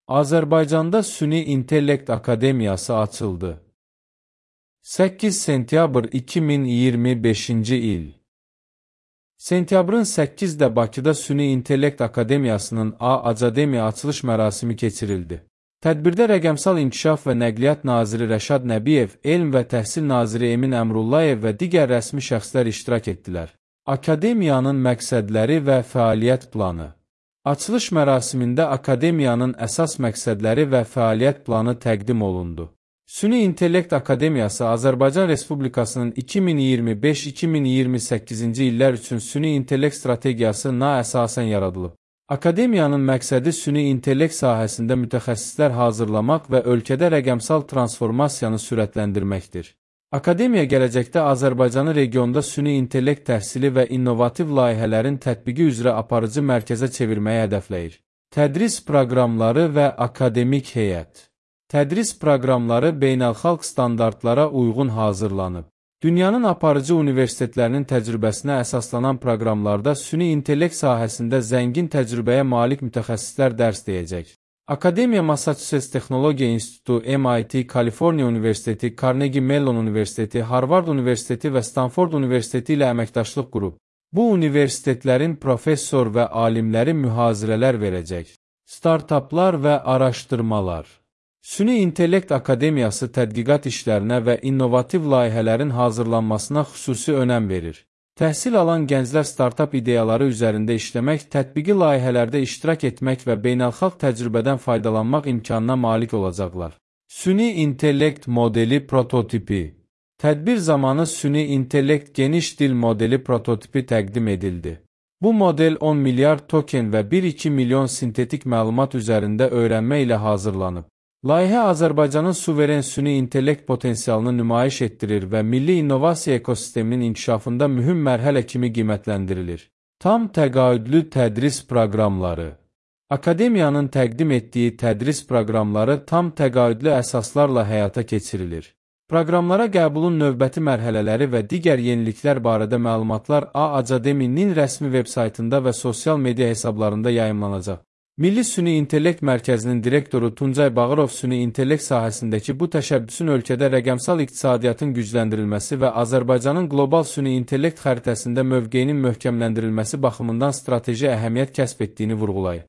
Azərbaycanda Süni İntellekt Akademiyası açıldı. 8 sentyabr 2025-ci il. Sentyabrın 8-də Bakıda Süni İntellekt Akademiyasının A-Academiya açılış mərasimi keçirildi. Tədbirdə Rəqəmsal İnkişaf və Nəqliyyat Naziri Rəşad Nəbiyev, Elm və Təhsil Naziri Emin Əmrullayev və digər rəsmi şəxslər iştirak etdilər. Akademiyanın məqsədləri və fəaliyyət planı. Açılış mərasimində Akademiyanın əsas məqsədləri və fəaliyyət planı təqdim olundu. Süni İntellekt Akademiyası Azərbaycan Respublikasının 2025-2028-ci illər üçün Süni İntellekt strategiyasına əsasən yaradılıb. Akademiyanın məqsədi süni intellekt sahəsində mütəxəssislər hazırlamaq və ölkədə rəqəmsal transformasiyanı sürətləndirməkdir. Akademiya gələcəkdə Azərbaycanı regionda süni intellekt təhsili və innovativ layihələrin tətbiqi üzrə aparıcı mərkəzə çevirməyi hədəfləyir. Tədris proqramları və akademik heyət. Tədris proqramları beynəlxalq standartlara uyğun hazırlanıb. Dünyanın aparıcı universitetlərinin təcrübəsinə əsaslanan proqramlarda süni intellekt sahəsində zəngin təcrübəyə malik mütəxəssislər dərs deyəcək. Akademiya Massachusetts Texnologiya İnstitutu, MIT, Kaliforniya Universiteti, Carnegie Mellon Universiteti, Harvard Universiteti və Stanford Universiteti ilə əməkdaşlıq qurub. Bu universitetlərin professor və alimləri mühazirələr verəcək. Startaplar və araşdırmalar. Süni İntellekt Akademiyası tədqiqat işlərinə və innovativ layihələrin hazırlanmasına xüsusi önəm verir. Təhsil alan gənclər startap ideyaları üzərində işləmək, tətbiqi layihələrdə iştirak etmək və beynəlxalq təcrübədən faydalanmaq imkanına malik olacaqlar. Süni intellekt modeli prototipi. Tədbir zamanı süni intellekt geniş dil modeli prototipi təqdim edildi. Bu model 10 milyard token və 1-2 milyon sintetik məlumat üzərində öyrənmə ilə hazırlanıb. Layihə Azərbaycanın suveren süni intellekt potensialını nümayiş etdirir və milli innovasiya ekosisteminin inkişafında mühüm mərhələ kimi qiymətləndirilir. Tam təqaüdlü tədris proqramları. Akademiyanın təqdim etdiyi tədris proqramları tam təqaüdlü əsaslarla həyata keçirilir. Proqramlara qəbulun növbəti mərhələləri və digər yeniliklər barədə məlumatlar A-Academinin rəsmi veb-saytında və sosial media hesablarında yayımlanacaq. Milli Süni İntellekt Mərkəzinin direktoru Tuncay Bağırov süni intellekt sahəsindəki bu təşəbbüsün ölkədə rəqəmsal iqtisadiyyatın gücləndirilməsi və Azərbaycanın qlobal süni intellekt xəritəsində mövqeyinin möhkəmləndirilməsi baxımından strateji əhəmiyyət kəsb etdiyini vurğulayır.